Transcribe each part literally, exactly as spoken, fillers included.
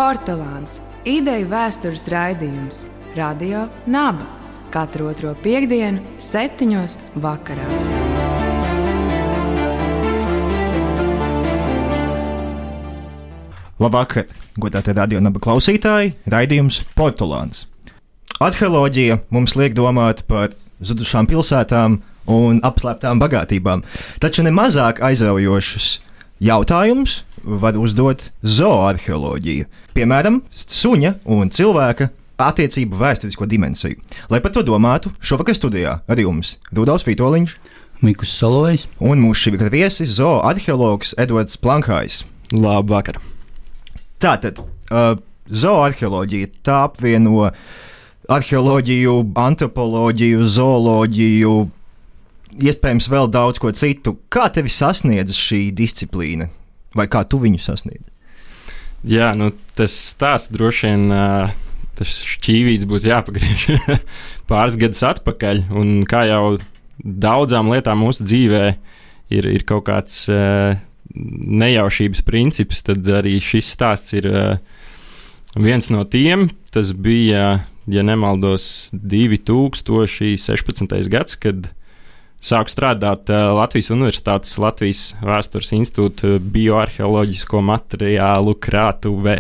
Portugāns – ideju vēstures raidījums. Radio Naba. Katru otro piektdienu, septiņos vakarā. Labvakar, godātie Radio Naba klausītāji, raidījums Portugāns. Arheoloģija mums liek domāt par zudušām pilsētām un apslēptām bagātībām, taču nemazāk aizraujošus jautājumus var uzdot zooarheoloģija, piemēram, suņa un cilvēka attiecību vēsturisko dimensiju. Lai par to domātu, šovakar studijā ar jums Rudolfs Vitoļņš, Mikus Solovejs un mūsu šī vakar viesis zooarheologs Edvards Plankhājs. Labvakar! Tātad, uh, zooarheoloģija tā apvieno arheoloģiju, antropoloģiju, zooloģiju, iespējams vēl daudz ko citu. Kā tevi sasniedz šī disciplīna? Vai kā tu viņu sasniedz? Jā, nu tas stāsts droši vien, uh, tas šķīvīts būtu jāpagriež pāris gadus atpakaļ, un kā jau daudzām lietām mūsu dzīvē ir, ir kaut kāds uh, nejaušības princips, tad arī šis stāsts ir uh, viens no tiem. Tas bija, ja nemaldos, divi tūkstoši sešpadsmitais gads, kad sāku strādāt uh, Latvijas Universitātes Latvijas Vēstures institūta bioarheoloģisko materiālu krātuvē.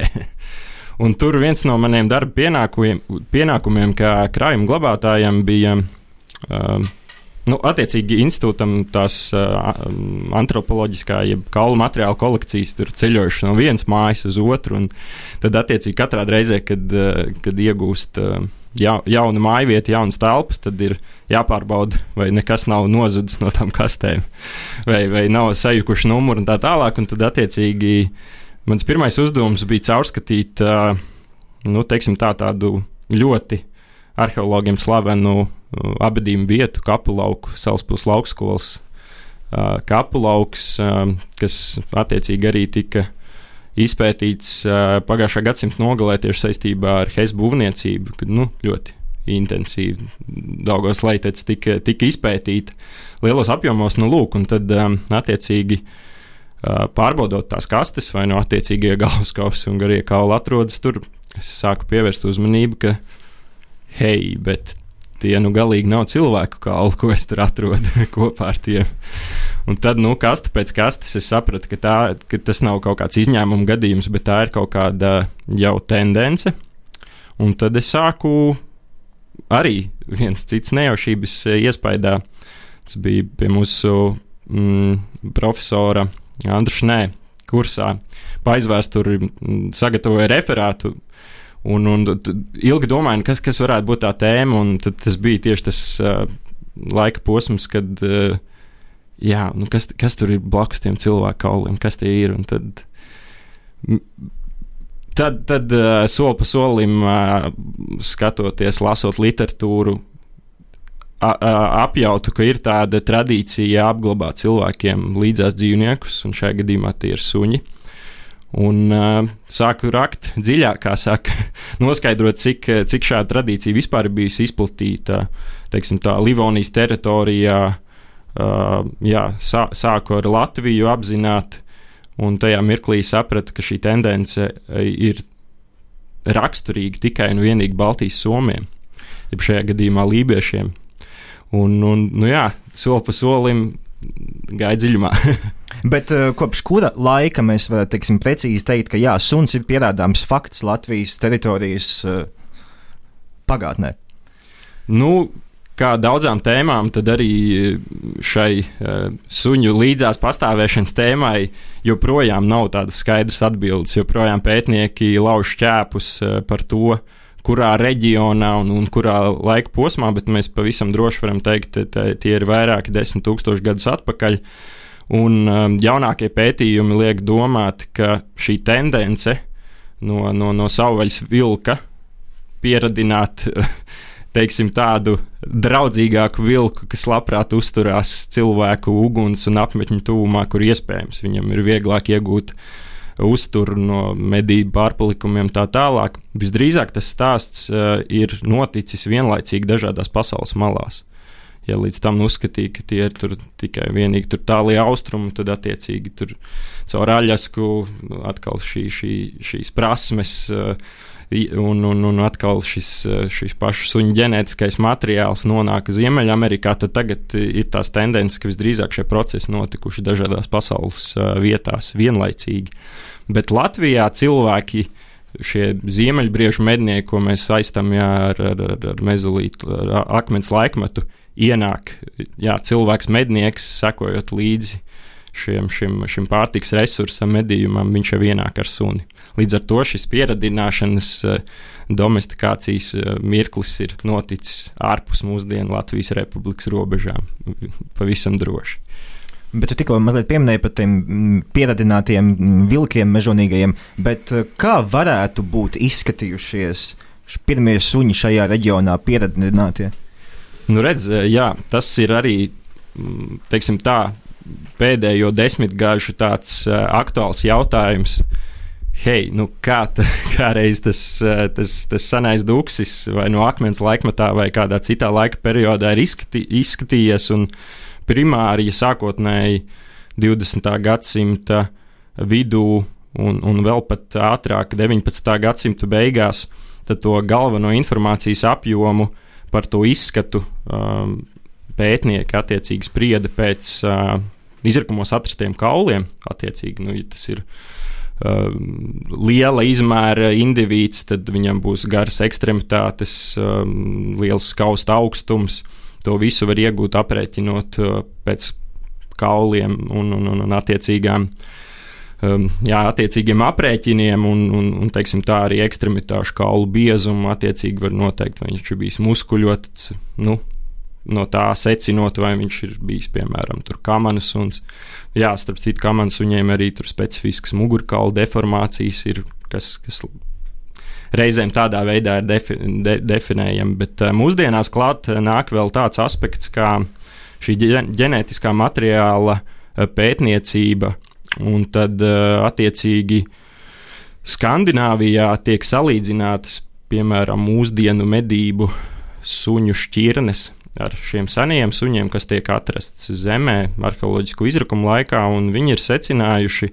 Un tur viens no maniem darba pienākumiem, pienākumiem kā krājuma glabātājiem bija, uh, nu, attiecīgi institūtam tās uh, antropoloģiskā, jeb kaulu materiālu kolekcijas tur ceļojuši no vienas mājas uz otru, un tad attiecīgi katrā reizē, kad, uh, kad iegūst uh, ja, jaunu mājvietu, jaunas telpas, tad ir jāpārbauda, vai nekas nav nozudis no tām kastēm, vai, vai nav sajukuši numuri un tā tālāk, un tad attiecīgi mans pirmais uzdevums bija caurskatīt, uh, nu, teiksim tā, tādu ļoti arheologiem slavenu uh, abadījumu vietu, Kapulauku, Salaspils laukskolas uh, Kapulauks, uh, kas attiecīgi arī tika izpētīts uh, pagājušā gadsimta nogalē tieši saistībā ar Hess būvniecību, kad, nu, ļoti intensīvi Daugavas leitec tika, tika izpētīta lielos apjomos, nu, lūk, un tad um, attiecīgi uh, pārbaudot tās kastes vai no attiecīgie galvaskausi un garie kauli atrodas tur, es sāku pievērst uzmanību, ka hei, bet tie nu galīgi nav cilvēku kauli, ko es tur atrodu kopā ar tiem. Un tad, nu, kastu pēc kastes es sapratu, ka, tā, ka tas nav kaut kāds izņēmuma gadījums, bet tā ir kaut kāda jau tendence. Un tad es sāku arī viens cits nejaušības iespaidā. Tas bija pie mūsu mm, profesora Andra Šnē kursā. Pa aizvēsturi sagatavoja referātu. Un, un ilgi domāju, kas, kas varētu būt tā tēma, un tad tas bija tieši tas uh, laika posms, kad, uh, jā, nu kas, kas tur ir blakus tiem cilvēku kauliem, kas tie ir, un tad, tad, tad uh, soli pa solim uh, skatoties, lasot literatūru, a, a, apjautu, ka ir tāda tradīcija apglabāt cilvēkiem līdzās dzīvniekus, un šajā gadījumā tie ir suņi. Un uh, sāku rakt dziļāk, kā saka, noskaidrot, cik, cik šāda tradīcija vispār ir bijusi izplatīta, teiksim tā, Livonijas teritorijā, uh, jā, sā, sāku ar Latviju apzināt, un tajā mirklī sapratu, ka šī tendence ir raksturīga tikai un vienīgi Baltijas somiem, jeb šajā gadījumā lībiešiem. Un, un nu jā, soli pa solim gāja dziļumā. Bet uh, kopš kura laika mēs varam, teiksim, precīzi teikt, ka jā, suns ir pierādāms fakts Latvijas teritorijas uh, pagātnē? Nu, kā daudzām tēmām, tad arī šai uh, suņu līdzās pastāvēšanas tēmai joprojām nav tādas skaidras atbildes, joprojām pētnieki lauž šķēpus uh, par to, kurā reģionā un, un kurā laika posmā, bet mēs pavisam droši varam teikt, ka tie ir vairāki desmit tūkstoši gadus atpakaļ. Un um, jaunākie pētījumi liek domāt, ka šī tendence no, no, no savvaļas vilka pieradināt, teiksim, tādu draudzīgāku vilku, kas labprāt uzturās cilvēku uguns un apmetņu tuvumā, kur iespējams viņam ir vieglāk iegūt uzturu no medību pārpalikumiem tā tālāk. Visdrīzāk tas stāsts uh, ir noticis vienlaicīgi dažādās pasaules malās. ja līdz tam uzskatīja, ka tie ir tur tikai vienīgi tur tālie austrumi, tad attiecīgi tur caur Aļasku atkal šī, šī, šīs prasmes un, un, un atkal šis, šis pašu suņu ģenētiskais materiāls nonāk Ziemeļamerikā, tad tagad ir tās tendences, ka visdrīzāk šie procesi notikuši dažādās pasaules vietās vienlaicīgi. Bet Latvijā cilvēki, šie ziemeļbriežu mednieki, ko mēs saistam jā, ar, ar, ar mezolītu, ar akmens laikmetu, ienāk jā, cilvēks mednieks, sekojot līdzi šiem, šim, šim pārtiks resursam, medījumam, viņš jau ienāk ar suni. Līdz ar to šis pieradināšanas domestikācijas mirklis ir noticis ārpus mūsdienu Latvijas Republikas robežām, pavisam droši. Bet tu tikko mazliet pieminēji par tiem pieradinātiem vilkiem mežonīgajiem, bet kā varētu būt izskatījušies pirmie suņi šajā reģionā pieradinātie? Nu redz, jā, tas ir arī, teiksim tā, pēdējo desmitgažu tāds aktuāls jautājums. Hei, nu kā, tā, kā reiz tas, tas, tas senais duksis vai no akmens laikmetā vai kādā citā laika periodā ir izskatī, izskatījies un primāri, ja sākotnēji divdesmitā gadsimta vidū un, un vēl pat ātrāk deviņpadsmitā gadsimta beigās, tad to galveno informācijas apjomu par to izskatu um, pētnieki attiecīgi sprieda pēc uh, izrakumos atrastiem kauliem. Attiecīgi, nu, ja tas ir uh, liela izmēra indivīds, tad viņam būs garas ekstremitātes, um, liels skausta augstums. To visu var iegūt aprēķinot uh, pēc kauliem un, un, un, un attiecīgām, um, jā, attiecīgiem aprēķiniem un, un, un teiksim, tā arī ekstremitāšu kaulu biezumu attiecīgi var noteikt, vai viņš ir bijis muskuļots, nu, no tā secinot, vai viņš ir bijis, piemēram, tur kamanu suns. Jā, starp citu kamanu suņiem arī tur specifiskas mugurkaulu deformācijas ir, kas, kas reizēm tādā veidā ir defi, de, definējami, bet uh, mūsdienās klāt nāk vēl tāds aspekts, kā šī ģenētiskā materiāla uh, pētniecība, un tad uh, attiecīgi Skandināvijā tiek salīdzinātas, piemēram, mūsdienu medību suņu šķirnes ar šiem senajiem suņiem, kas tiek atrasts zemē arheoloģisku izrakumu laikā, un viņi ir secinājuši,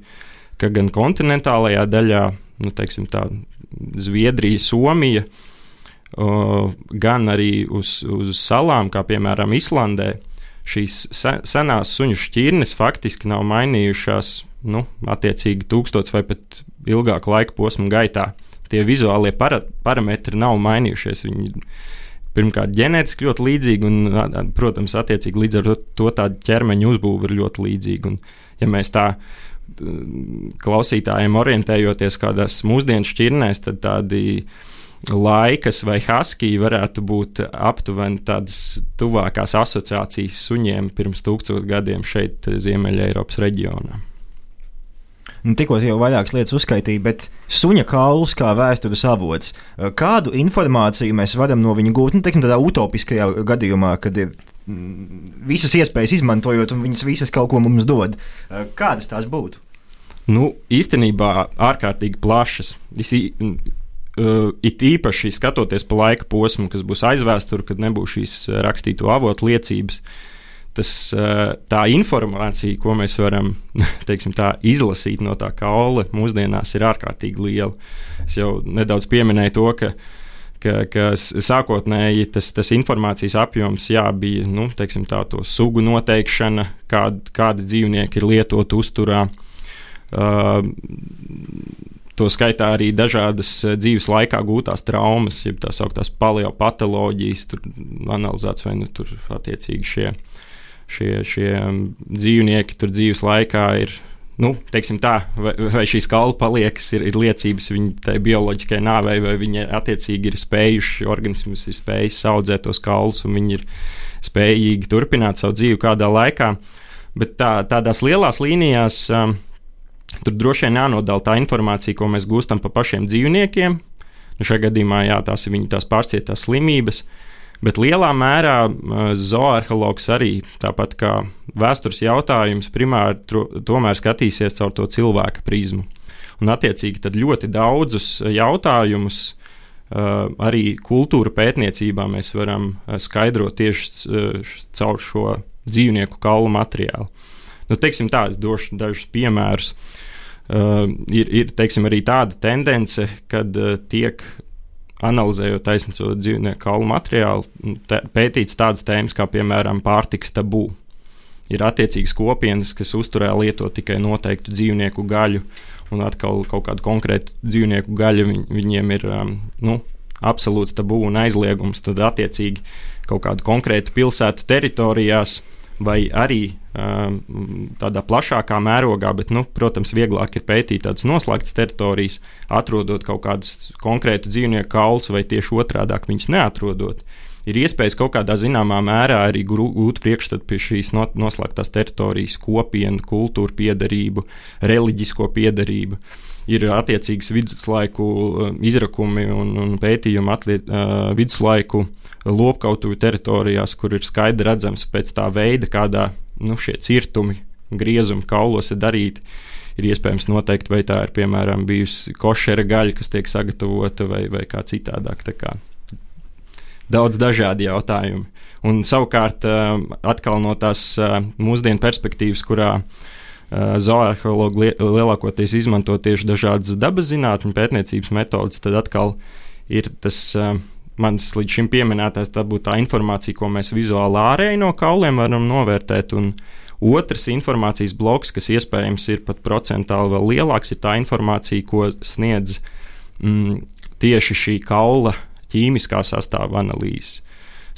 ka gan kontinentālajā daļā, nu, teiksim tā, Zviedrija, Somija, uh, gan arī uz, uz salām, kā piemēram Islandē, šīs senās suņu šķirnes faktiski nav mainījušās, nu, attiecīgi tūkstots vai pat ilgāku laika posmu gaitā. Tie vizuālie para, parametri nav mainījušies. Viņi pirmkārt ģenētiski ļoti līdzīgi un, protams, attiecīgi līdz ar to tāda ķermeņa uzbūve ir ļoti līdzīga. Un, ja mēs tā klausītājiem orientējoties kādās mūsdienu šķirnēs, tad tādi laikas vai haskiji varētu būt aptuveni tādas tuvākās asociācijas suņiem pirms tūkstošu gadiem šeit Ziemeļa Eiropas reģionā. Nu, tikko jau vairākas lietas uzskaitīja, bet suņa kauls kā vēstures avots. Kādu informāciju mēs varam no viņa gūt, nu, teiksim, tādā utopiskajā gadījumā, kad ir visas iespējas izmantojot un viņas visas kaut ko mums dod? Kādas tās būtu? Nu, īstenībā ārkārtīgi plašas. Es, uh, it īpaši skatoties pa laika posmu, kas būs aizvēsture, kad nebūs šīs rakstīto avotu liecības, tas, uh, tā informācija, ko mēs varam teiksim, tā, izlasīt no tā kaula, mūsdienās ir ārkārtīgi liela. Es jau nedaudz pieminēju to, ka ka, ka sākotnēji tas, tas informācijas apjoms jā, bija nu, teiksim, tā, to sugu noteikšana, kād, kādi dzīvnieki ir lietot uzturā. Uh, to skaitā arī dažādas dzīves laikā gūtās traumas, jeb tā sauktās paleopatoloģijas, tur analizēts vai nu tur attiecīgi šie, šie, šie dzīvnieki tur dzīves laikā ir, nu, teiksim tā, vai, vai šīs kaula paliekas ir, ir liecības viņa tai bioloģiskai nāvei, vai viņi attiecīgi ir spējuši, organisms ir spējis audzēt tos kaulus, un viņi ir spējīgi turpināt savu dzīvi kādā laikā. Bet tā, tādās lielās līnijās um, tur droši vien jānodala tā informācija, ko mēs gūstam pa pašiem dzīvniekiem. Nu, šajā gadījumā, jā, tās ir viņu tās pārcietās slimības, bet lielā mērā uh, zoarheologs arī, tāpat kā vēstures jautājums, primāri tro, tomēr skatīsies caur to cilvēka prizmu. Un attiecīgi tad ļoti daudzus jautājumus uh, arī kultūra pētniecībā mēs varam uh, skaidrot tieši uh, caur šo dzīvnieku kaulu materiālu. Nu, teiksim tā, es došu dažus piemērus. Uh, ir, ir teiksim, arī tāda tendence, kad uh, tiek analizējot taisnīco dzīvnieku kaulu materiālu, te, pētīts tādas tēmas kā, piemēram, pārtikas tabū. Ir attiecīgas kopienas, kas uzturē lieto tikai noteiktu dzīvnieku gaļu, un atkal kaut kādu konkrētu dzīvnieku gaļu viņ, viņiem ir um, nu, absolūts tabū un aizliegums. Tad attiecīgi kaut kādu konkrētu pilsētu teritorijās vai arī um, tādā plašākā mērogā, bet, nu, protams, vieglāk ir pētīt tādas noslēgtas teritorijas, atrodot kaut kādus konkrētu dzīvnieku kaulus vai tieši otrādāk viņus neatrodot. Ir iespējas kaut kādā zināmā mērā arī gūt priekšstatu pie šīs noslēgtās teritorijas kopienu, kultūru piederību, reliģisko piederību. Ir attiecīgas viduslaiku izrakumi un, un pētījumi atliet, uh, viduslaiku lopkautuvi teritorijās, kur ir skaidri redzams pēc tā veida, kādā nu, šie cirtumi, griezumi kaulos ir darīti. Ir iespējams noteikt, vai tā ir, piemēram, bijusi košera gaļa, kas tiek sagatavota, vai, vai kā citādāk. Tā kā daudz dažādi jautājumi. Un savukārt atkal no tās mūsdienu perspektīvas, kurā zoārheologi lielākoties izmanto tieši dažādas dabas zinātņu pētniecības metodas, tad atkal ir tas manis līdz šim pieminētais, tā būtu tā informācija, ko mēs vizuāli ārēji no kauliem varam novērtēt, un otrs informācijas bloks, kas iespējams ir pat procentāli vēl lielāks, ir tā informācija, ko sniedz mm, tieši šī kaula ķīmiskā sastāva analīze.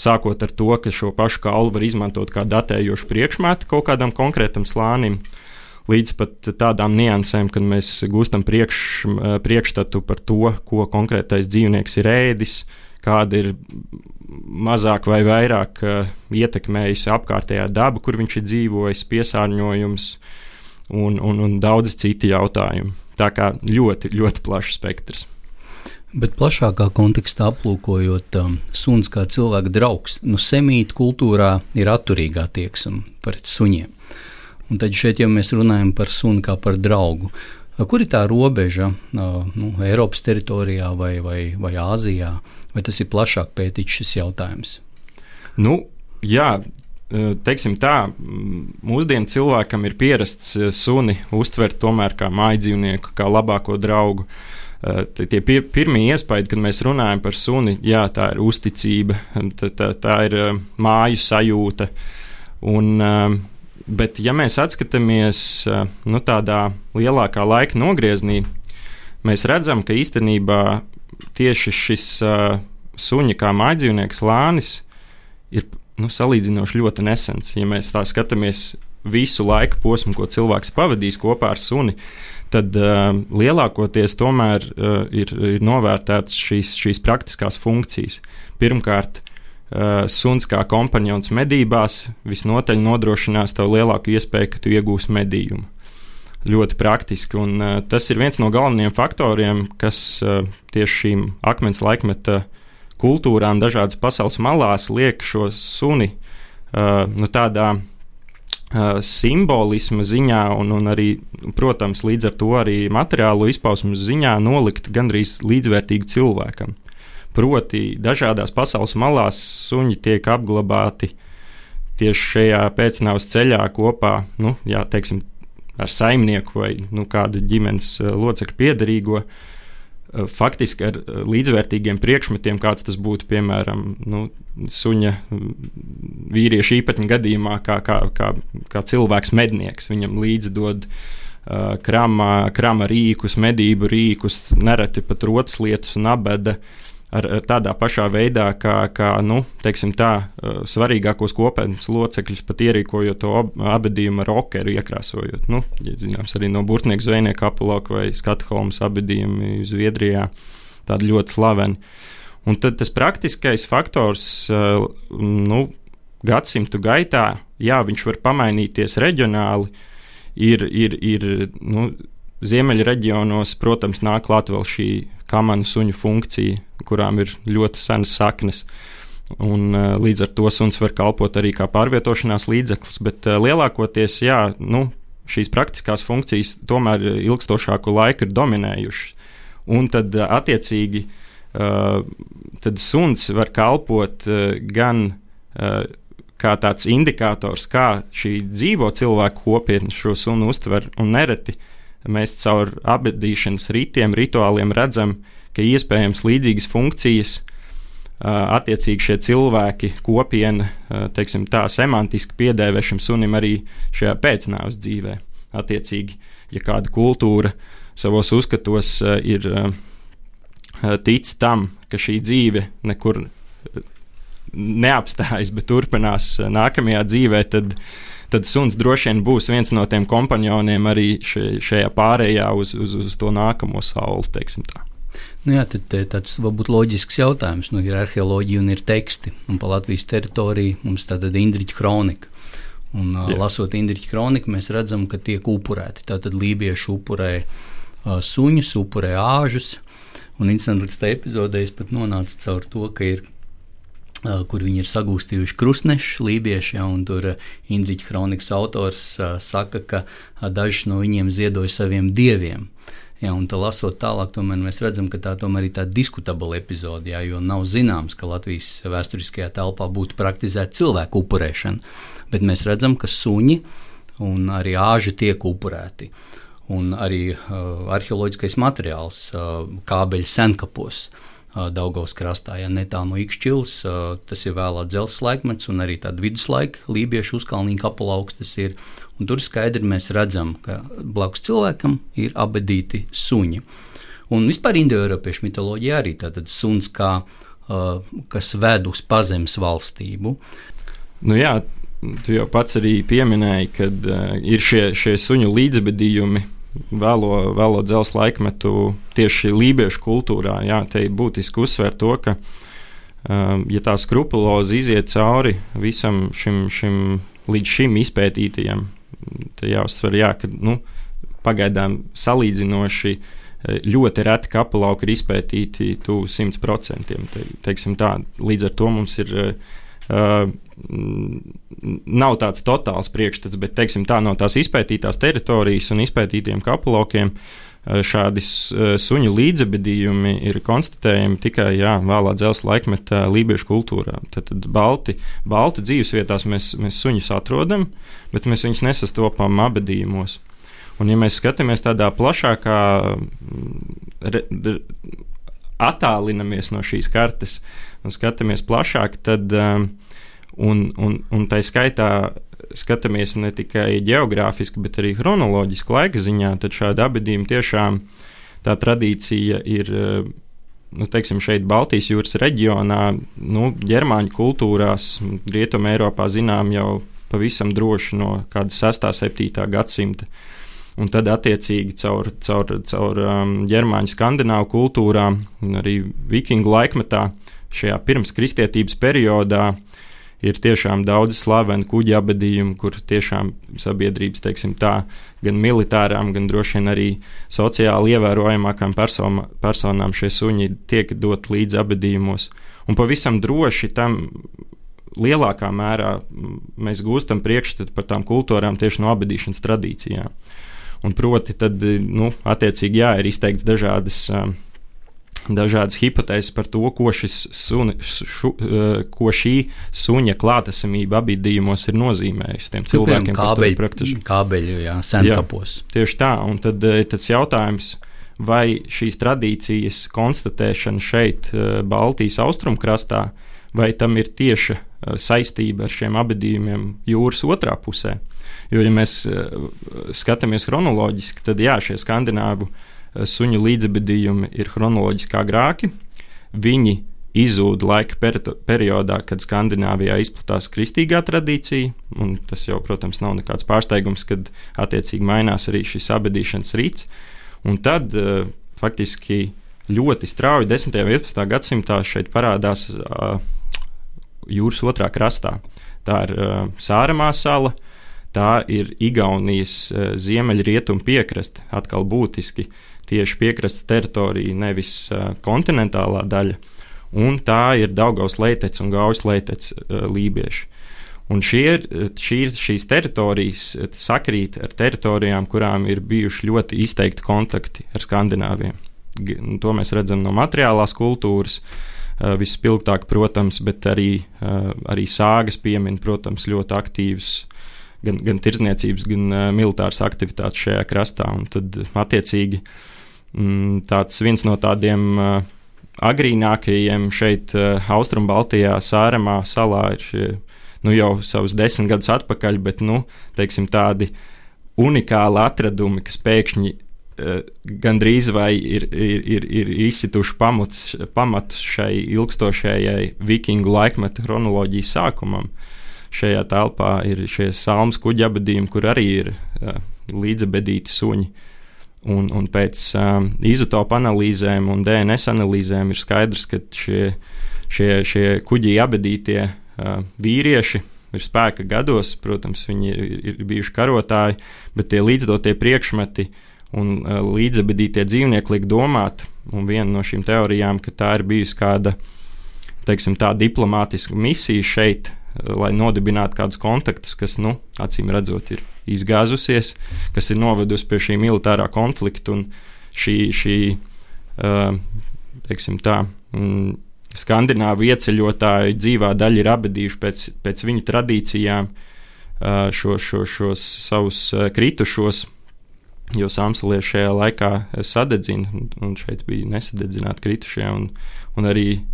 Sākot ar to, ka šo pašu kaulu var izmantot kā datējošu priekšmetu kaut kādam konkrētam slānim, līdz pat tādām niansēm, kad mēs gūstam priekš, priekšstatu par to, ko konkrētais dzīvnieks ir ēdis, kāda ir mazāk vai vairāk uh, ietekmējusi apkārtējā daba, kur viņš ir dzīvojis, piesārņojums un, un, un daudz citi jautājumi. Tā kā ļoti, ļoti plašs spektrs. Bet plašākā kontekstā aplūkojot, um, suns kā cilvēka draugs, nu semītu kultūrā ir atturīgā attieksme pret suņiem. Un tad šeit jau mēs runājam par suni kā par draugu. Kur ir tā robeža uh, nu, Eiropas teritorijā vai, vai, vai Āzijā? Vai tas ir plašāk pētīts šis jautājums? Nu, jā, teiksim tā, mūsdienu cilvēkam ir pierasts suni uztvert tomēr kā mājdzīvnieku, kā labāko draugu. Tie pir, pirmie iespaidi, kad mēs runājam par suni, jā, tā ir uzticība, tā, tā, tā ir māju sajūta. Un, bet, ja mēs atskatāmies nu, tādā lielākā laika nogrieznī, mēs redzam, ka īstenībā tieši šis uh, suņa kā mājdzīvnieks lānis ir nu, salīdzinoši ļoti nesens. Ja mēs tā skatāmies visu laika posmu, ko cilvēks pavadīs kopā ar suni, tad uh, lielākoties tomēr uh, ir, ir novērtētas šīs, šīs praktiskās funkcijas. Pirmkārt, uh, suns kā kompanjons medībās visnotaļ nodrošinās tev lielāku iespēju, ka tu iegūsi medījumu. Ļoti praktiski, un uh, tas ir viens no galvenajiem faktoriem, kas uh, tieši šīm akmens laikmeta kultūrām dažādas pasaules malās liek šo suni uh, nu, tādā uh, simbolisma ziņā un, un arī, protams, līdz ar to arī materiālo izpausmu ziņā nolikt gandrīz līdzvērtīgu cilvēkam. Proti, dažādās pasaules malās suņi tiek apglabāti tieši šajā pēcnāvs ceļā kopā, nu, jā, teiksim, ar saimnieku vai nu, kādu ģimenes locekļu piederīgo, faktiski ar līdzvērtīgiem priekšmetiem, kāds tas būtu, piemēram, nu, suņa vīrieša īpatņa gadījumā, kā, kā, kā, kā cilvēks mednieks. Viņam līdzi dod uh, krama, krama rīkus, medību rīkus, nereti pat rotas lietas un abeda ar, ar tādā pašā veidā, kā, kā nu, teiksim tā, svarīgākos kopienas locekļus pat ierīkojot to abedījumu ar okeru iekrāsojot. Nu, ja zināms, arī no Burtnieku zvejnieku apulauka vai Skatholmas abedījumi Zviedrijā, tādi ļoti slaveni. Un tad tas praktiskais faktors, nu, gadsimtu gaitā, jā, viņš var pamainīties reģionāli, ir, ir, ir nu, ziemeļu reģionos, protams, nāk klāt vēl šī kamanu suņu funkcija, kurām ir ļoti senas saknes, un uh, līdz ar to suns var kalpot arī kā pārvietošanās līdzeklis, bet uh, lielākoties, jā, nu, šīs praktiskās funkcijas tomēr ilgstošāku laiku ir dominējušas, un tad uh, attiecīgi uh, tad suns var kalpot uh, gan uh, kā tāds indikators, kā šī dzīvo cilvēku kopiena šo sunu uztver, un nereti mēs caur abedīšanas ritiem, rituāliem redzam, ka iespējams līdzīgas funkcijas attiecīgi šie cilvēki, kopiena, teiksim tā, semantiski piedēvē šim sunim arī šajā pēcnāves dzīvē. Attiecīgi, ja kāda kultūra savos uzskatos ir tic tam, ka šī dzīve nekur neapstājas, bet turpinās nākamajā dzīvē, tad, tad suns droši vien būs viens no tiem kompanioniem arī šajā pārējā uz, uz, uz to nākamo sauli, teiksim tā. Nu jā, tad tāds varbūt loģisks jautājums. Nu, ir arheoloģija un ir teksti. Un pa Latvijas teritoriju mums tātad Indriķa kronika. Un jā. Lasot Indriķa kroniku, mēs redzam, ka tiek upurēti. Tātad lībieši upurē uh, suņus, upurē āžus. Un interesanti līdz tā epizodē es pat nonācu caur to, ka ir, uh, kur viņi ir sagūstījuši krustnešus lībieši, ja, un tur uh, Indriķa kronikas autors uh, saka, ka uh, dažs no viņiem ziedoja saviem dieviem. Jā, un tā lasot tālāk, tomēr mēs redzam, ka tā tomēr ir tāda diskutabla epizode, jā, jo nav zināms, ka Latvijas vēsturiskajā telpā būtu praktizēta cilvēku upurēšana, bet mēs redzam, ka suņi un arī āži tiek upurēti. Un arī uh, arheoloģiskais materiāls uh, kābeļu senkapos uh, Daugavas krastā, ja netālu no Ikšķilas, uh, tas ir vēlā dzelzs laikmets un arī tāda viduslaika lībiešu uzkalnīgi kapelaukstas ir. Un tur skaidri mēs redzam, ka blakus cilvēkam ir abedīti suņi. Un vispār indoeiropiešu mitoloģija arī tātad suns, kā, uh, kas ved uz pazemes valstību. Nu jā, tu jau pats arī pieminēji, kad uh, ir šie, šie suņu līdzbedījumi vēlo, vēlo dzelzs laikmetu tieši lībiešu kultūrā. Jā, te ir būtiski uzsvērt to, ka uh, ja tā skrupulozi iziet cauri visam šim, šim līdz šim izpētītajam, te jāuzsver, jā, ka nu, pagaidām salīdzinoši ļoti reti kapelauki ir izpētīti tuvu simt procentiem. Te, teiksim tā, līdz ar to mums ir uh, nav tāds totāls priekšstats, bet teiksim tā, no tās izpētītās teritorijas un izpētītiem kapelaukiem šādi suņu līdzabedījumi ir konstatējami tikai jā, vēlā dzelzs laikmetā lībiešu kultūrā. Tad, tad balti, balti dzīvesvietās mēs, mēs suņus atrodam, bet mēs viņus nesastopam abedījumos. Un ja mēs skatāmies tādā plašākā, re, re, attālinamies no šīs kartes un skatāmies plašāk, tad um, un, un, un tai skaitā skatāmies ne tikai geogrāfiski, bet arī chronoloģiski laika ziņā, tad šāda abedījuma tiešām tā tradīcija ir, nu, teiksim, šeit Baltijas jūras reģionā, nu, ģermāņu kultūrās, Rietuma Eiropā zinām jau pavisam droši no kāda sestā, septītā gadsimta. Un tad attiecīgi caur, caur, caur um, ģermāņu skandināvu kultūrām, arī vikingu laikmetā, šajā pirms kristietības periodā, ir tiešām daudz slaveni kuģi abedījumi, kur tiešām sabiedrības, teiksim tā, gan militārām, gan droši vien arī sociāli ievērojamākām persona, personām šie suņi tiek dot līdz abedījumos. Un pavisam droši tam lielākā mērā mēs gūstam priekšstatu par tām kultūrām tieši no abedīšanas tradīcijām. Un proti tad, nu, attiecīgi jā, ir izteikts dažādas dažādas hipotēzes par to, ko, šis suni, šu, ko šī suņa klātesamība abedījumos ir nozīmējusi tiem cilvēkiem, kas to praktiski kābeļu, jā, senkapos. Jā, tieši tā, un tad tas jautājums, vai šīs tradīcijas konstatēšana šeit Baltijas austrumkrastā, vai tam ir tieša saistība ar šiem abedījumiem jūras otrā pusē. Jo, ja mēs skatāmies chronoloģiski, tad jā, šie skandināvu suņu līdzabedījumi ir chronoloģiski agrāki. Viņi izzūda laika peri- periodā, kad Skandināvijā izplatās kristīgā tradīcija, un tas jau, protams, nav nekāds pārsteigums, kad attiecīgi mainās arī šis abedīšanas rīts. Un tad uh, faktiski ļoti strauji desmitajā un vienpadsmitajā gadsimtā šeit parādās uh, jūras otrā krastā. Tā ir uh, Sāremā sala, tā ir Igaunijas uh, ziemeļrietumu piekraste, atkal būtiski tieši piekrastes teritorija, nevis uh, kontinentālā daļa, un tā ir Daugavas Leitec un Gaujas Leitec uh, lībieši. Un šie, šī, šīs teritorijas sakrīt ar teritorijām, kurām ir bijuši ļoti izteikti kontakti ar Skandināviem. to mēs redzam no materiālās kultūras. Vispilgtāk, protams, bet arī, arī sāgas piemin, protams, ļoti aktīvas gan, gan tirdzniecības, gan militāras aktivitātes šajā krastā. Un tad, attiecīgi, tāds viens no tādiem agrīnākajiem šeit Austrumbaltijā, Sāremā salā ir šie, nu jau savus desmit gadus atpakaļ, bet, nu, teiksim, tādi unikāli atradumi, kas pēkšņi gandrīz vai ir, ir, ir, ir izsituši pamatus, pamatus šai ilgstošajai vikingu laikmeta chronoloģijas sākumam. Šajā telpā ir šie salmas kuģi abadījumi, kur arī ir uh, līdzabedīti suņi. Un, un pēc um, izotopu analīzēm un D N S analīzēm ir skaidrs, ka šie, šie, šie kuģi abadītie uh, vīrieši ir spēka gados, protams, viņi ir, ir bijuši karotāji, bet tie līdzdotie priekšmeti un uh, līdzabedītie dzīvnieki liek domāt, un viena no šīm teorijām, ka tā ir bijusi kāda, teiksim, tā diplomātiska misija šeit, uh, lai nodibinātu kādus kontaktus, kas, nu, acīm redzot, ir izgāzusies, kas ir novedusi pie šī militārā konflikta, un šī, šī uh, teiksim tā, mm, skandināvu ieceļotāju dzīvā daļa ir abedījuši pēc, pēc viņu tradīcijām uh, šo, šo, šos savus uh, kritušos, jo samsalieši šajā laikā sadedzina, un šeit bija nesadedzināti kritušie, un, un arī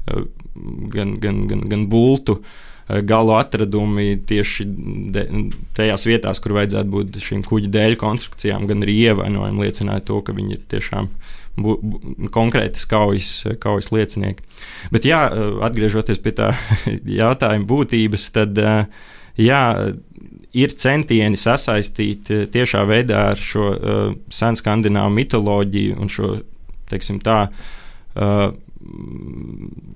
gan, gan, gan, gan bultu galu atradumi tieši de, tajās vietās, kur vajadzētu būt šīm kuģu dēļu konstrukcijām, gan arī ievainojumi liecināja to, ka viņi ir tiešām bu, bu, konkrētas kaujas, kaujas liecinieki. Bet jā, atgriežoties pie tā jautājuma būtības, tad jā, ir centieni sasaistīt tiešā veidā ar šo uh, senu skandināvu mitoloģiju un šo, teiksim tā, uh,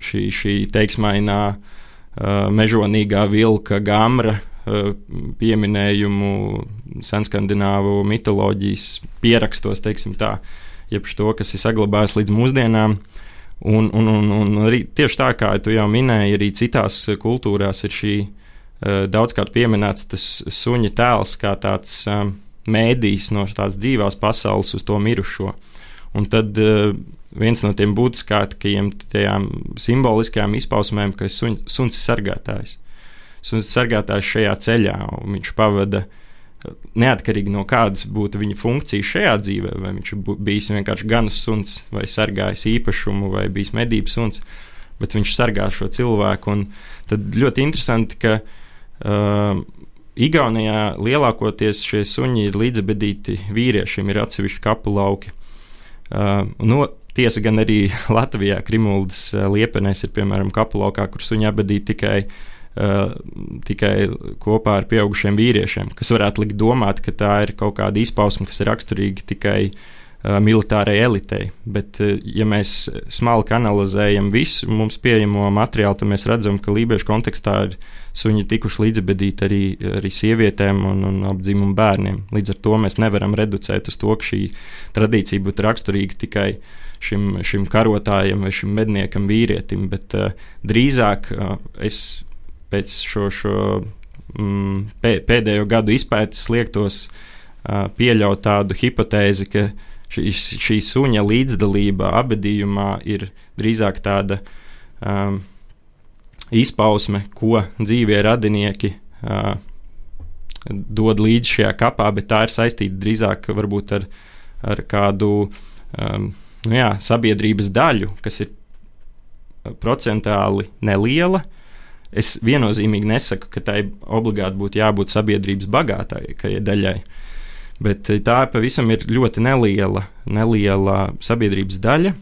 šī, šī teiksmainā uh, mežonīgā vilka gamra uh, pieminējumu senskandināvu mitoloģijas pierakstos, teiksim tā, jeb to, kas ir saglabājis līdz mūsdienām. Un, un, un, un arī tieši tā, kā tu jau minēji, arī citās kultūrās ir šī daudzkārt pieminēts tas suņa tēls kā tāds um, mēdījis no tādas dzīvās pasaules uz to mirušo. Un tad uh, viens no tiem būtiskākajiem tajām simboliskajām izpausmēm, ka suņ, suns ir sargātājs. Suns ir sargātājs šajā ceļā, un viņš pavada neatkarīgi no kādas būtu viņa funkcija šajā dzīvē, vai viņš ir bijis vienkārši ganas suns, vai sargājis īpašumu, vai bijis medības suns, bet viņš sargā šo cilvēku. Un tad ļoti interesanti, ka Uh, Igaunijā lielākoties šie suņi ir līdzabedīti vīriešiem, ir atsevišķi kapu lauki. Uh, no, tiesa gan arī Latvijā, Krimuldas uh, Liepenēs ir piemēram kapu laukā, kur suņi abedīti tikai, uh, tikai kopā ar pieaugušiem vīriešiem, kas varētu likt domāt, ka tā ir kaut kāda izpausme, kas ir raksturīga tikai uh, militārai elitei. Bet, uh, ja mēs smalki analizējam visu mums pieejamo materiālu, tad mēs redzam, ka lībiešu kontekstā ir suņi tikuši līdzabedīti arī, arī sievietēm un, un apdzimumu bērniem. Līdz ar to mēs nevaram reducēt uz to, ka šī tradīcija būtu raksturīga tikai šim, šim karotājam vai šim medniekam vīrietim, bet uh, drīzāk uh, es pēc šo, šo mm, pē, pēdējo gadu izpētes liektos uh, pieļaut tādu hipotēzi, ka šī, šī suņa līdzdalība abedījumā ir drīzāk tāda um, izpausme, ko dzīvie radinieki uh, dod līdzi šajā kapā, bet tā ir saistīta drīzāk varbūt ar, ar kādu um, nu jā, sabiedrības daļu, kas ir procentāli neliela. Es viennozīmīgi nesaku, ka tai obligāti būtu jābūt sabiedrības bagātākajai daļai, bet tā pavisam ir ļoti neliela, neliela sabiedrības daļa.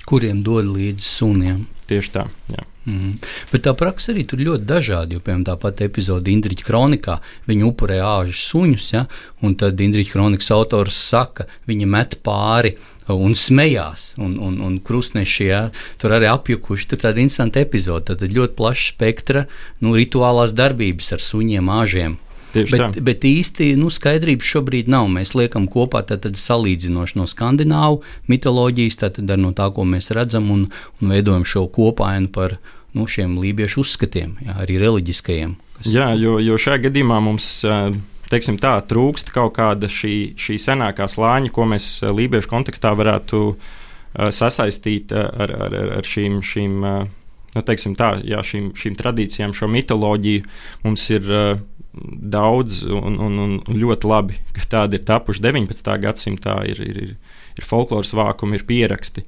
Kuriem dod līdzi suniem. Tieši tā, jā. Mm. Bet tā praksa arī tur ļoti dažādi, jo, piemēram, tāpat epizode Indriķa kronikā, viņi upurē āžu suņus, ja, un tad Indriķa kronikas autors saka, viņi met pāri un smējās, un, un, un krustneši, ja, tur arī apjukuši, tur tāda interesanta epizode, tad ļoti plaša spektra, nu, rituālās darbības ar suņiem, āžiem. Bet, bet īsti nu, skaidrības šobrīd nav. Mēs liekam kopā tātad salīdzinoši no skandināvu mitoloģijas, tātad ar no tā, ko mēs redzam, un, un veidojam šo kopainu par nu, šiem lībiešu uzskatiem, jā, arī reliģiskajiem. Kas... Jā, jo, jo šajā gadījumā mums, teiksim tā, trūkst kaut kāda šī, šī senākā slāņa, ko mēs lībiešu kontekstā varētu sasaistīta ar, ar, ar šīm, šīm, nu, teiksim tā, jā, šīm, šīm tradīcijām, šo mitoloģiju. Mums ir daudz un, un, un ļoti labi, ka tādi ir tapuši deviņpadsmitā gadsimtā, ir, ir, ir, ir folkloras vākumi, ir pieraksti.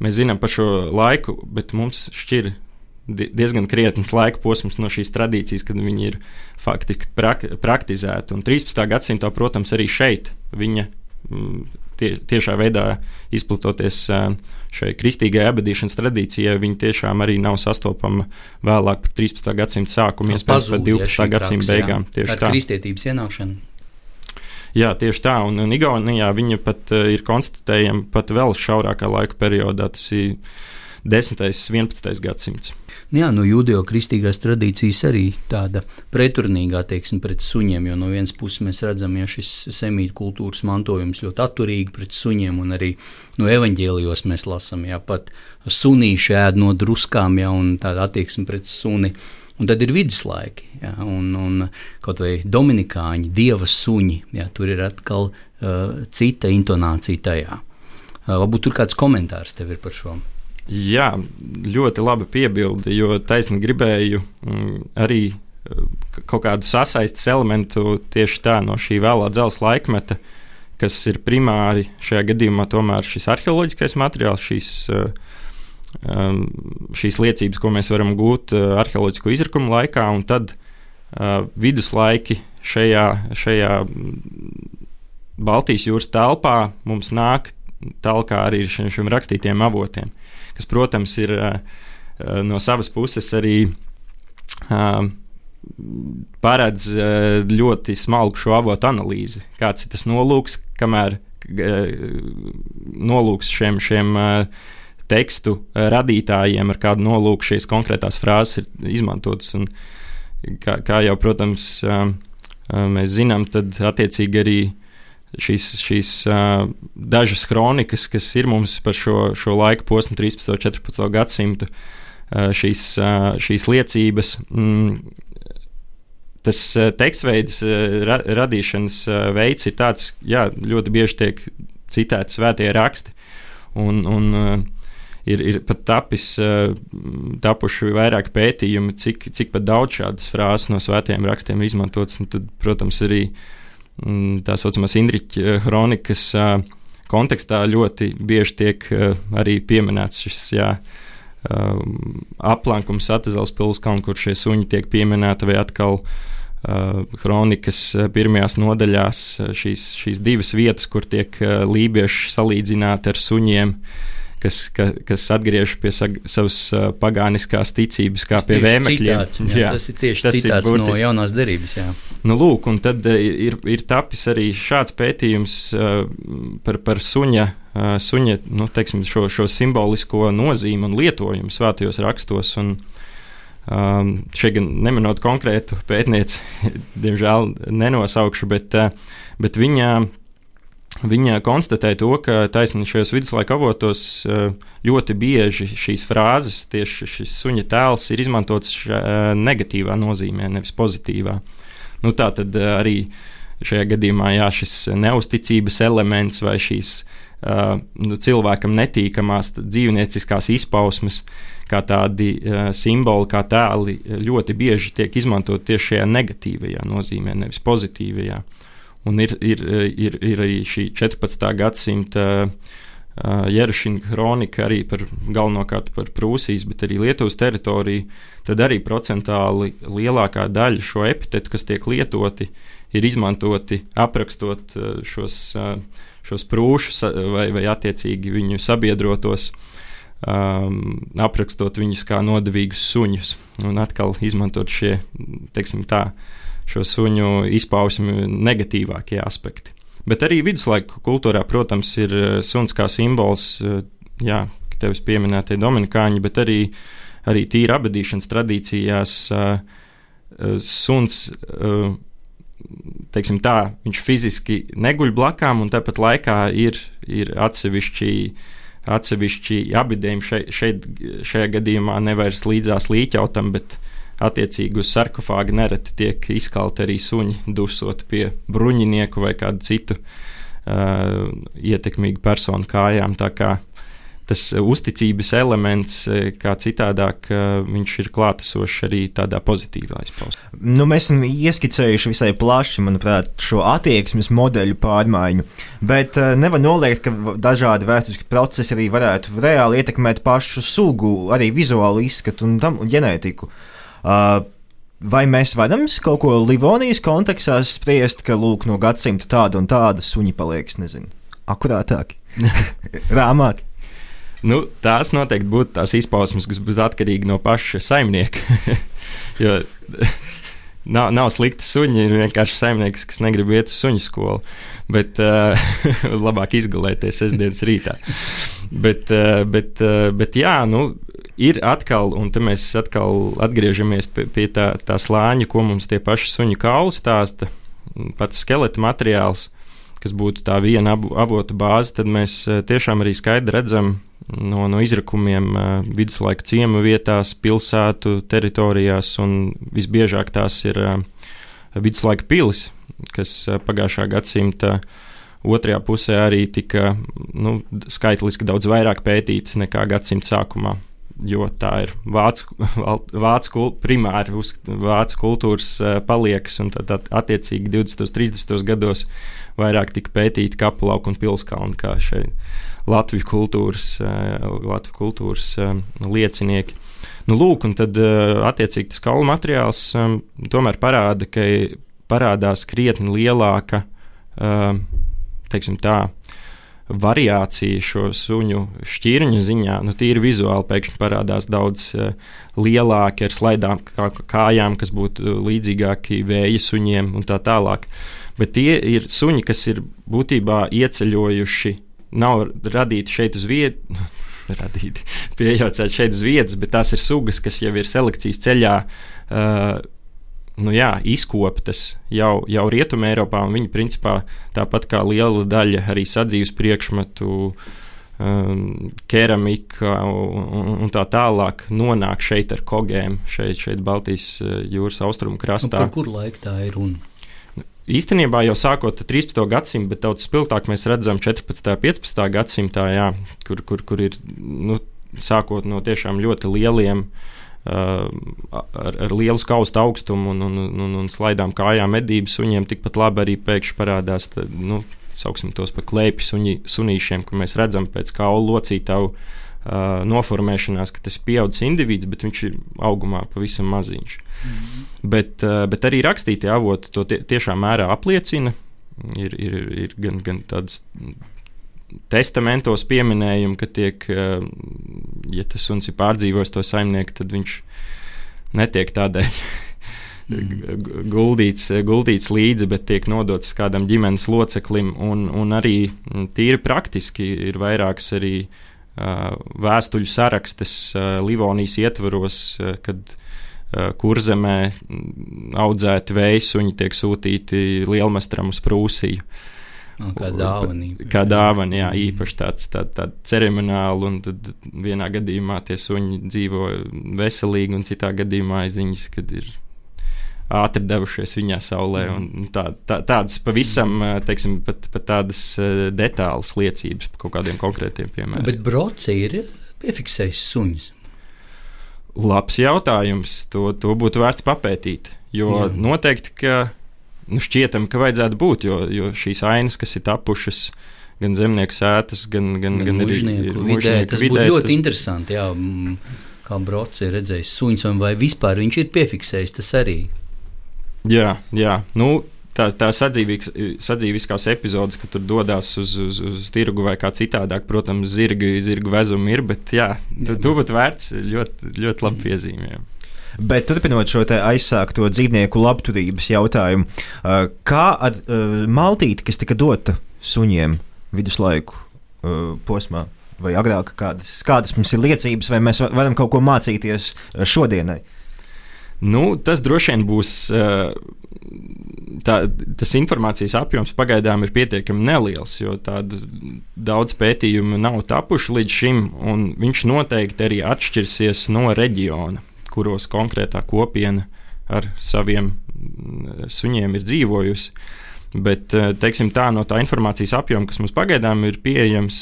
Mēs zinām par šo laiku, bet mums šķir diezgan krietns laika posms no šīs tradīcijas, kad viņi ir faktiski prak praktizēti. Un trīspadsmitā gadsimtā, protams, arī šeit viņa tie, tiešā veidā izplatoties šai kristīgai abadīšanas tradīcijai, viņi tiešām arī nav sastopama vēlāk par trīspadsmitā gadsimta sākumu, iespējams par divpadsmitā gadsimta beigām. Tieši ar tā. Kristietības ienākšanu. Jā, tieši tā, un, un Igaunijā viņa pat uh, ir konstatējama pat vēl šaurākā laika periodā, tas ir desmitais, vienpadsmitais gadsimts. Jā, no jūdeo-kristīgās tradīcijas arī tāda preturnīgā, teiksim, pret suņiem, jo no vienas puses mēs redzam, ja šis semītu kultūras mantojums ļoti atturīgi pret suņiem, un arī no evaņģēlijos mēs lasam, jā, pat sunīši ēd no druskām, jā, un tāda attieksme pret suni. Un tad ir viduslaiki, jā, un, un kaut vai dominikāņi, dieva suņi, jā, tur ir atkal uh, cita intonācija tajā. Uh, varbūt tur kāds komentārs tev ir par šo? Jā, ļoti laba piebilde, jo taisni gribēju mm, arī kaut kādu sasaistes elementu tieši tā no šī vēlā dzelzs laikmeta, kas ir primāri šajā gadījumā tomēr šis arheoloģiskais materiāls, šīs, um, šīs liecības, ko mēs varam gūt uh, arheoloģisko izrakumu laikā, un tad uh, viduslaiki šajā, šajā Baltijas jūras telpā mums nāk talkā arī šiem, šiem rakstītiem avotiem, kas, protams, ir uh, no savas puses arī uh, paredz uh, ļoti smalku šo avotu analīzi. Kāds ir tas nolūks, kamēr uh, nolūks šiem, šiem uh, tekstu uh, radītājiem, ar kādu nolūku šīs konkrētās frāzes ir izmantotas. Un, kā, kā jau, protams, uh, uh, mēs zinām, tad attiecīgi arī šīs, šīs uh, dažas kronikas, kas ir mums par šo, šo laiku posmu trīspadsmito un četrpadsmito gadsimtu, uh, šīs, uh, šīs liecības, mm, tas uh, tekstveids uh, ra radīšanas uh, veids ir tāds, jā, ļoti bieži tiek citēti svētie raksti, un, un uh, ir, ir pat tapis, uh, tapuši vairāk pētījumi, cik, cik pat daudz šādas frāzes no svētajiem rakstiem izmantotas, un tad, protams, arī tā saucamās Indriķa kronikas kontekstā ļoti bieži tiek arī pieminēts šis, jā, aplankums Atezels pilskalnu, kur šie suņi tiek pieminēti, vai atkal kronikas pirmajās nodaļās šīs, šīs divas vietas, kur tiek lībieši salīdzināti ar suņiem, kas, ka, kas atgriež pie sag, savas uh, pagāniskās ticības, kā pie vēmekļiem. Citāts, jā, jā, tas ir tieši tas citāts ir no jaunās derības. Jā. Nu, lūk, un tad uh, ir, ir tapis arī šāds pētījums uh, par, par suņa, uh, suņa nu, teiksim, šo, šo simbolisko nozīmi un lietojumu svētajos rakstos. Un, um, šeit gan neminot konkrētu pētnieci, diemžēl nenosaukšu, bet, uh, bet viņa Viņa konstatēja to, ka taisni šajos viduslaika avotos ļoti bieži šīs frāzes, tieši šis suņa tēls ir izmantots negatīvā nozīmē, nevis pozitīvā. Nu, tā tad arī šajā gadījumā jā, šis neusticības elements vai šīs nu, cilvēkam netīkamās dzīvnieciskās izpausmes, kā tādi simboli, kā tēli, ļoti bieži tiek izmantot tieši šajā negatīvajā nozīmē, nevis pozitīvajā. Un ir, ir, ir, ir arī šī četrpadsmitā gadsimta uh, Jerušina kronika arī par galvenokārt par Prūsijas, bet arī Lietuvas teritoriju, tad arī procentāli lielākā daļa šo epitetu, kas tiek lietoti, ir izmantoti aprakstot uh, šos, uh, šos prūšus vai, vai attiecīgi viņu sabiedrotos, um, aprakstot viņus kā nodevīgus suņus un atkal izmantot šie, teiksim tā, šo suņu izpausmi negatīvākie aspekti. Bet arī viduslaiku kultūrā, protams, ir suns kā simbols, jā, tevis pieminētie dominikāņi, bet arī, arī tīra abadīšanas tradīcijās suns, teiksim tā, viņš fiziski neguļ blakām un tāpat laikā ir, ir atsevišķi, atsevišķi abidējumi šeit, šeit, šajā gadījumā nevairs līdzās līķautam, bet attiecīgi uz sarkofāga nereti tiek izkalti arī suņi, dusot pie bruņinieku vai kādu citu uh, ietekmīgu personu kājām. Tā kā tas uzticības elements, kā citādāk, viņš ir klātesošs arī tādā pozitīvā izpausmē. Nu, mēs esam ieskicējuši visai plaši, manuprāt, šo attieksmes modeļu pārmaiņu, bet nevar noliegt, ka dažādi vēsturiski procesi arī varētu reāli ietekmēt pašu sugu, arī vizuālu izskatu un, tam, un ģenētiku. Vai mēs varam kaut ko Livonijas kontekstā spriest, ka lūk, no gadsimta tāda un tāda suņi paliek, nezinu, akurātāki, rāmāki? Nu, tās noteikti būtu tās izpausmes, kas būtu atkarīgi no paša saimnieka. Jo nav, nav slikti suņi, ir vienkārši saimnieks, kas negrib iet uz suņu skolu. Bet uh, labāk izgulēties sestdienas rītā. Bet, uh, bet, uh, bet jā, nu, ir atkal, un te mēs atkal atgriežamies pie, pie tā, tā slāņa, ko mums tie paši suņu kauli stāsta, pats skeleta materiāls, kas būtu tā viena avotu bāze, tad mēs tiešām arī skaidri redzam no, no izrakumiem viduslaika ciemu vietās, pilsētu teritorijās, un visbiežāk tās ir viduslaika pilis, kas pagājušā gadsimta otrajā pusē arī tika nu, skaitliski daudz vairāk pētītas nekā gadsimta sākumā. Jo tā ir vācu, vācu primāri uz vācu kultūras paliekas, un tad attiecīgi divdesmitos, trīsdesmitos gados vairāk tika pētīti Kapulauku un Pilskalni kā šeit Latviju kultūras, Latviju kultūras liecinieki. Nu, lūk, un tad attiecīgi tas kaulu materiāls tomēr parāda, ka parādās krietni lielāka, teiksim tā, variācija šo suņu šķirņu ziņā, nu tīri vizuāli pēkšņi parādās daudz uh, lielāki ar slaidām kā, kājām, kas būtu līdzīgāki vēja suņiem un tā tālāk. Bet tie ir suņi, kas ir būtībā ieceļojuši, nav radīti šeit uz vietu, radīti, pieejaucēti šeit uz vietas, bet tās ir sugas, kas jau ir selekcijas ceļā uh, nu jā, izkoptas jau, jau Rietumē Eiropā, un viņi principā tāpat kā liela daļa arī sadzīves priekšmetu, um, keramika un, un, un tā tālāk nonāk šeit ar kogēm, šeit, šeit Baltijas jūras austrumu krastā. Nu, par kur laiku tā ir runa? Īstenībā jau sākot ar trīspadsmito gadsimtu, bet daudz spilgtāk mēs redzam četrpadsmitā, piecpadsmitā gadsimtā, jā, kur, kur, kur ir nu, sākot no tiešām ļoti lieliem Uh, ar, ar lielu skaustu augstumu un, un, un, un slaidām kājām medības suņiem, tikpat labi arī pēkšņi parādās, tad, nu, sauksim tos par klēpju suņi, sunīšiem, kur mēs redzam pēc kaulu locītavu uh, noformēšanās, ka tas ir pieaudzis indivīds, bet viņš ir augumā pavisam maziņš. Mm-hmm. Bet, uh, bet arī rakstītie avoti to tie, tiešām mērā apliecina, ir, ir, ir gan, gan tādas testamentos pieminējumi, ka tiek, ja tas suns ir pārdzīvojis to saimnieku, tad viņš netiek tādēļ mm. guldīts, guldīts līdzi, bet tiek nodots kādam ģimenes loceklim, un, un arī tīri praktiski ir vairākas arī uh, vēstuļu sarakstes uh, Livonijas ietvaros, uh, kad uh, Kurzemē audzēti vējsuņi tiek sūtīti lielmestram uz Prūsiju. No, kā dāvana. Kā dāvana, jā, īpaši tāds tā, tā ceremoniāli, un tad vienā gadījumā tie suņi dzīvo veselīgi, un citā gadījumā ziņas, kad ir ātri devušies viņā saulē, un tā, tā, tādas pavisam, teiksim, pat, pat tādas detālas liecības par kaut kādiem konkrētiem piemēriem. Bet Broci ir piefiksējis suņus? Labs jautājums, to, to būtu vērts papētīt, jo jā. Noteikti, ka Nu, šķietam, ka vajadzētu būt, jo, jo šīs ainas, kas ir tapušas gan zemnieku sētas, gan, gan, gan, gan mužnieku, ir, ir vidē, tas vidē, būtu ļoti tas... interesanti, jā, kā Broci ir redzējis suņus, vai vispār viņš ir piefiksējis tas arī. Jā, jā, nu, tā, tā sadzīviskās epizodes, ka tur dodās uz, uz, uz tirgu vai kā citādāk, protams, zirgu, zirgu vezumi ir, bet jā, jā tu būtu vērts ļoti, ļoti labi piezīmēm. Bet turpinot šo aizsākto dzīvnieku labturības jautājumu, kā ar maltīti, kas tika dota suņiem viduslaiku posmā, vai agrāk, kādas, kādas mums ir liecības, vai mēs varam kaut ko mācīties šodienai? Nu, tas droši vien būs, tā, tas informācijas apjoms pagaidām ir pietiekami neliels, jo tādu daudz pētījumu nav tapuši līdz šim, un viņš noteikti arī atšķirsies no reģiona, kuros konkrētā kopiena ar saviem suņiem ir dzīvojusi. Bet, teiksim tā, no tā informācijas apjoma, kas mums pagaidām ir pieejams,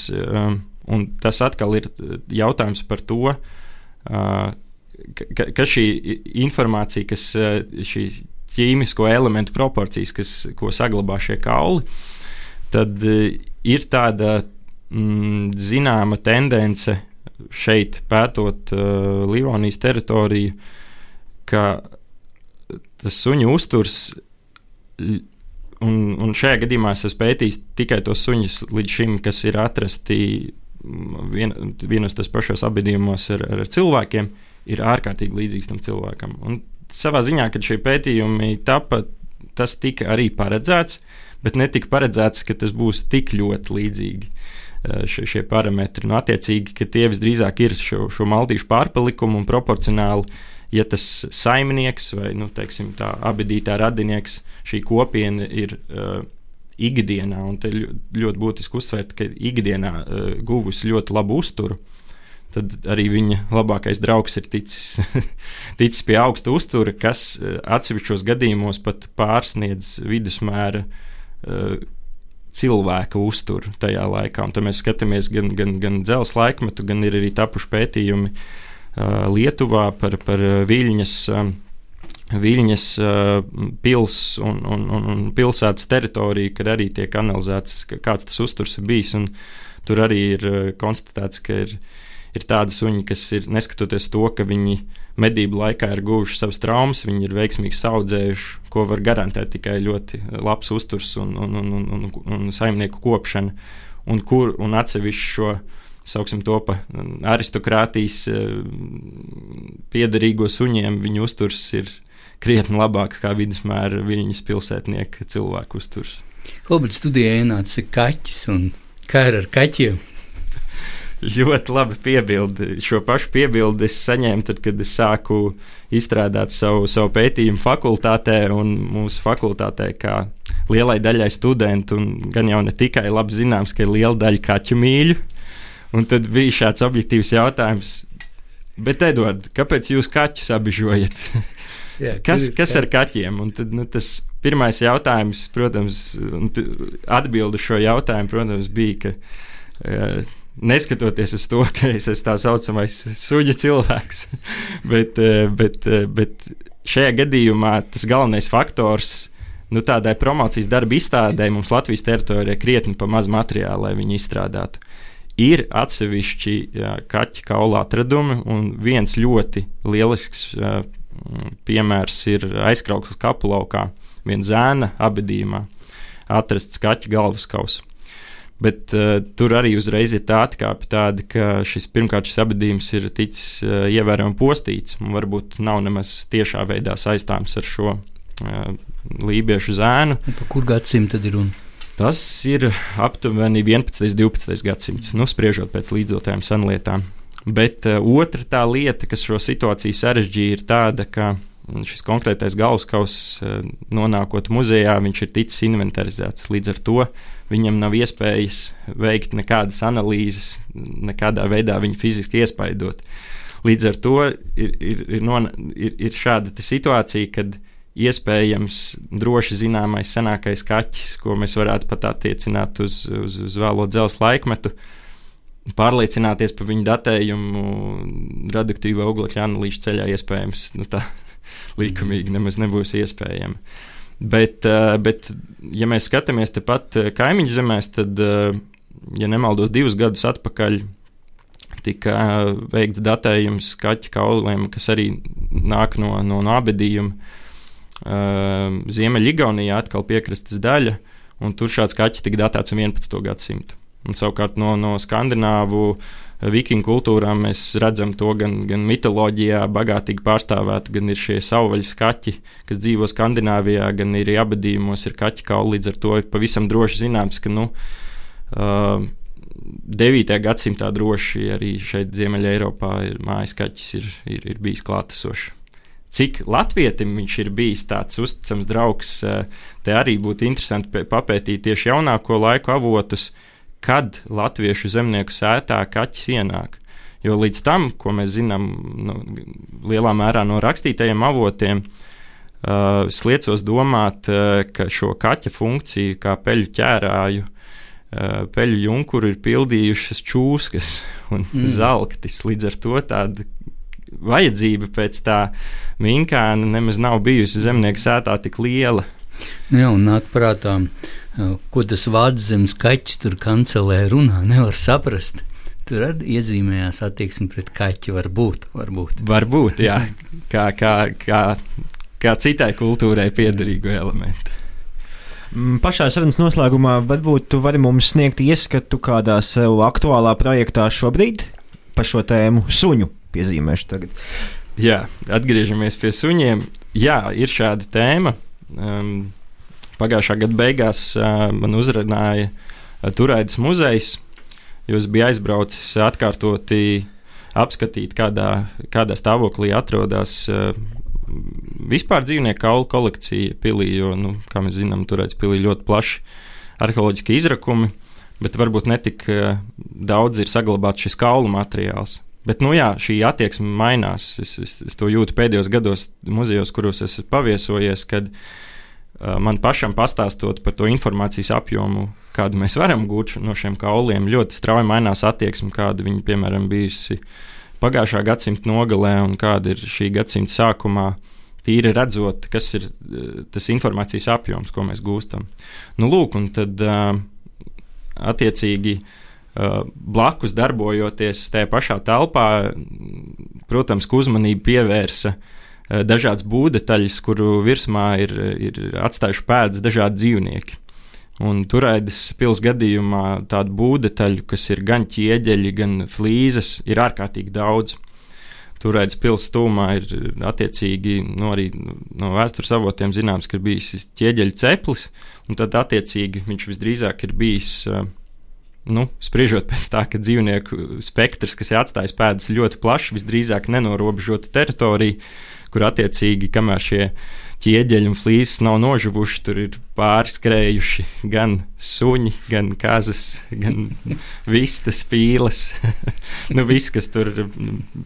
Un tas atkal ir jautājums par to, uh, ka, ka šī informācija, kas šī ķīmisko elementu proporcijas, kas, ko saglabā šie kauli, tad ir tāda mm, zināma tendence šeit pētot uh, Livonijas teritoriju, ka tas suņu uzturs, un, un šajā gadījumā es esmu pētījis tikai tos suņus līdz šim, kas ir atrasti vien, vienos tas pašos apbedījumos ar, ar cilvēkiem, ir ārkārtīgi līdzīgs tam cilvēkam. Un savā ziņā, kad šie pētījumi tapa, tas tika arī paredzēts, bet netika paredzēts, ka tas būs tik ļoti līdzīgi šie, šie parametri. Nu, attiecīgi, ka tie visdrīzāk ir šo, šo maltīšu pārpalikumu un proporcionāli, ja tas saimnieks vai, nu, teiksim, tā abedītā radinieks, šī kopiena ir uh, ikdienā, un te ļoti būtiski uzsvērt, ka ikdienā uh, guvusi ļoti labu uzturu, tad arī viņa labākais draugs ir ticis, ticis pie augsta uztura, kas uh, atsevišķos gadījumos pat pārsniedz vidusmēra uh, cilvēka uzturu tajā laikā. Un tad mēs skatāmies gan, gan, gan dzelzs laikmetu, gan ir arī tapuši pētījumi uh, Lietuvā par, par Viļņas um, Viļņas uh, pils un, un, un, un pilsētas teritoriju, kad arī tiek analizēts, kāds tas uzturs ir bijis. Un tur arī ir uh, konstatēts, ka ir, ir tādi suņi, kas ir, neskatoties to, ka viņi medību laikā ir guvuši savas traumas, viņi ir veiksmīgi saudzējuši, ko var garantēt tikai ļoti labs uzturs un, un, un, un, un, un saimnieku kopšana. Un, kur, un atsevišķi šo, sauksim to pa aristokrātijas uh, piederīgo suņiem, viņu uzturs ir krietni labāks kā vidusmēra Viļņas pilsētnieka cilvēku uzturs. Hobart studijā ienāca kaķis, un kā ir ar kaķiem? Ļoti labi piebildi. Šo pašu piebildi es saņēmu tad, kad es sāku izstrādāt savu, savu pētījumu fakultātē, un mūsu fakultātē, kā lielai daļai studentu, un gan jau ne tikai labi zināms, ka ir liela daļa kaķu mīļu, un tad bija šāds objektīvs jautājums, bet, Eduard, kāpēc jūs kaķus apbižojat? Jā, kas, kas ar kaķiem? Un tad, nu, tas pirmais jautājums, protams, atbildi šo jautājumu, protams, bija, ka uh, neskatoties uz to, ka es esmu tā saucamais suģa cilvēks, bet, uh, bet, uh, bet šajā gadījumā tas galvenais faktors, nu, tādai promocijas darba izstādē mums Latvijas teritorijā krietni pa maz materiālu, lai viņi izstrādātu. Ir atsevišķi jā, kaķi kaula atradumi, un viens ļoti lielisks uh, piemērs ir Aizkraukles kapulaukā, viena zēna abedījumā atrasts kaķa galvaskauss. Bet uh, tur arī uzreiz ir tā atkāpe tāda, ka šis pirmkārt šis abedījums ir ticis uh, ievērojami postīts, un varbūt nav nemaz tiešā veidā saistāms ar šo uh, lībiešu zēnu. Un pa kur gadsimtu tad ir runa? Tas ir aptuveni vienpadsmitais, divpadsmitais gadsimts, nu, spriežot pēc līdzotajām senlietām. Bet uh, otra tā lieta, kas šo situāciju sarežģīja, ir tāda, ka šis konkrētais galvaskauss uh, nonākot muzejā, viņš ir ticis inventarizēts. Līdz ar to viņam nav iespējas veikt nekādas analīzes, nekādā veidā viņu fiziski iespaidot. Līdz ar to ir, ir, ir, non, ir, ir šāda situācija, kad iespējams droši zināmais senākais kaķis, ko mēs varētu pat attiecināt uz, uz, uz vēlo dzelzs laikmetu, pārliecināties par viņu datējumu radioaktīvo oglekļa analīžu ceļā iespējams, nu tā likumīgi nemaz nebūs iespējama. Bet, bet, ja mēs skatāmies tepat kaimiņu zemēs, tad, ja nemaldos, divus gadus atpakaļ tika veikts datējums kaķu kauliem, kas arī nāk no, no, no abedījuma. Ziemeļigaunijā atkal piekrastes daļa, un tur šāds kaķis tika datēts vienpadsmito gadsimtu. Un savukārt no, no skandināvu vikingu kultūrām mēs redzam to gan, gan mitoloģijā bagātīgi pārstāvētu, gan ir šie savvaļas kaķi, kas dzīvo Skandināvijā, gan ir abedījumos ir kaķi kauli, līdz ar to ir pavisam droši zināms, ka, nu, uh, devītajā gadsimtā droši arī šeit Ziemeļa Eiropā ir mājas kaķis ir, ir, ir bijis klātesošs. Cik latvietim viņš ir bijis tāds uzticams draugs, te arī būtu interesanti papētīt tieši jaunāko laiku avotus, kad latviešu zemnieku sētā kaķis ienāk. Jo līdz tam, ko mēs zinām nu, lielā mērā no rakstītajiem avotiem, uh, es liecos domāt, uh, ka šo kaķa funkciju kā peļu ķērāju uh, peļu junkuru ir pildījušas čūskas un mm. zelktis. Līdz ar to tāda vajadzība pēc tā minkāna nemaz nav bijusi zemnieku sētā tik liela. Jā, un nāk prātā, ko tas vāczemes kaķis tur kancelē runā, nevar saprast. Tur arī iezīmējās attieksme pret kaķi, varbūt. Varbūt, varbūt jā, kā, kā, kā, kā citai kultūrai piederīgu elementu. Pašā sarunas noslēgumā varbūt tu vari mums sniegt ieskatu kādā sev aktuālā projektā šobrīd par šo tēmu suņu piezīmēšu tagad. Jā, atgriežamies pie suņiem. Jā, ir šāda tēma. Um, pagājušā gada beigās uh, man uzrunāja uh, Turaidas muzejs, jo es biju aizbraucis atkārtoti apskatīt, kādā, kādā stāvoklī atrodas uh, vispār dzīvnieku kaulu kolekcija pilī, jo, nu, kā mēs zinām, Turaidas pilī ļoti plaši arheoloģiski izrakumi, bet varbūt netik uh, daudz ir saglabāts šis kaulu materiāls. Bet, nu jā, šī attieksme mainās. Es, es, es to jūtu pēdējos gados muzejos, kuros esmu paviesojies, kad uh, man pašam pastāstot par to informācijas apjomu, kādu mēs varam gūt no šiem kauliem, ļoti strauji mainās attieksme, kāda viņa, piemēram, bijusi pagājušā gadsimta nogalē un kāda ir šī gadsimta sākumā, tīri redzot, kas ir uh, tas informācijas apjoms, ko mēs gūstam. Nu, lūk, un tad uh, attiecīgi Uh, blakus darbojoties tajā pašā telpā, protams, ka uzmanību pievērsa uh, dažādas būvdetaļas, kuru virsmā ir, ir atstājuši pēdas dažādi dzīvnieki. Un Turaidas pils gadījumā tādu būvdetaļu, kas ir gan ķieģeļi, gan flīzes, ir ārkārtīgi daudz. Turaidas pils tūmā ir attiecīgi, no, arī no vēstures avotiem zināms, ka ir bijis ķieģeļu ceplis, un tad attiecīgi viņš visdrīzāk ir bijis uh, Nu, spriežot pēc tā, ka dzīvnieku spektrs, kas ir atstājis pēdas, ļoti plašs, visdrīzāk nenorobežota teritorija, kur attiecīgi, kamēr šie ķieģeļi un flīzes nav nožuvuši, tur ir pārskrējuši gan suņi, gan kazas, gan vistas, pīles. Nu, viss, kas tur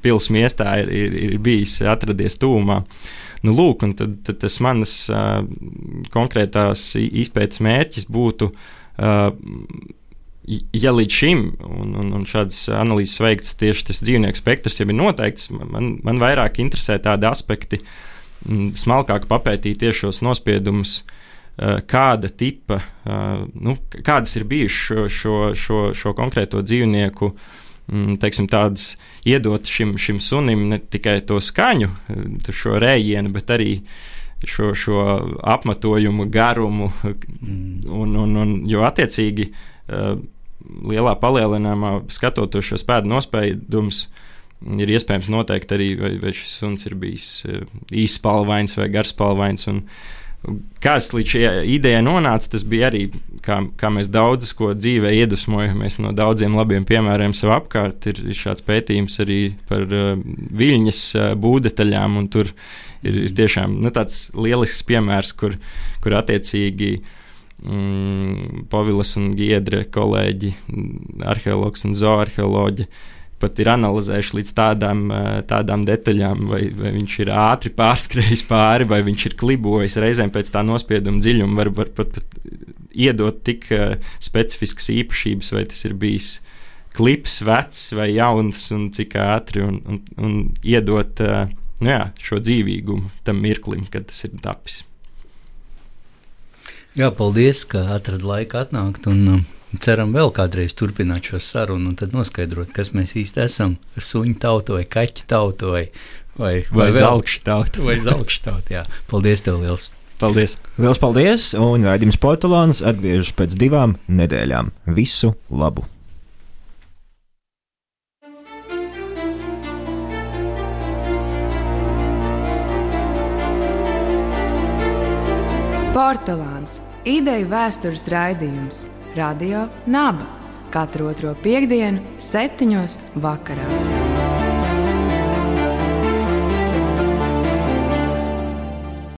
pils miestā ir, ir, ir bijis atradies tūmā. Nu, lūk, un tad, tad tas manas uh, konkrētās izpētes mērķis būtu uh, ja līdz šim, un, un, un šādas analīzes veikts tieši tas dzīvnieku spektrs jau ir noteikts, man, man vairāk interesē tādi aspekti, m, smalkāk papētīt tieši šos nospiedumus, uh, kāda tipa, uh, nu, kādas ir bijušas šo, šo, šo, šo konkrēto dzīvnieku, m, teiksim, tādas iedot šim, šim sunim ne tikai to skaņu, šo rējienu, bet arī šo, šo apmetojumu garumu, un, un, un, jo attiecīgi uh, lielā palielinājumā skatoties šos pēdu nospiedumus, ir iespējams noteikt arī, vai, vai šis suns ir bijis īspalvains vai garspalvains. Un kāds līdz šajā idejai nonāca, tas bija arī, kā, kā mēs daudz ko dzīvē iedvesmojamies no daudziem labiem piemēriem sev apkārt. Ir, ir šāds pētījums arī par uh, viļņas uh, būvdetaļām, un tur ir, ir tiešām nu, tāds lielisks piemērs, kur, kur attiecīgi Mm, Povilas un Giedre kolēģi, arheologs un zooarheoloģi pat ir analizējuši līdz tādām, tādām detaļām, vai, vai viņš ir ātri pārskrējis pāri, vai viņš ir klibojis. Reizēm pēc tā nospieduma dziļuma var, var pat, pat iedot tik uh, specifiskas īpašības, vai tas ir bijis klips, vecs vai jauns, un cik ātri, un, un, un iedot uh, nu jā, šo dzīvīgumu tam mirklim, kad tas ir tapis. Jā, paldies, ka atrad laiku atnākt, un um, ceram vēl kādreiz turpināt šo sarunu, un tad noskaidrot, kas mēs īsti esam, suņu tauta vai kaķu tauta vai, vai, vai, vai zelkšu tauta. Vai zelkšu tauta, jā. Paldies tev liels. Paldies. Liels paldies, un raidījums Portulāns atgriežas pēc divām nedēļām. Visu labu! Portulāns. Ideju vēstures raidījums. Radio Naba. Katru otro piektdienu, septiņos vakarā.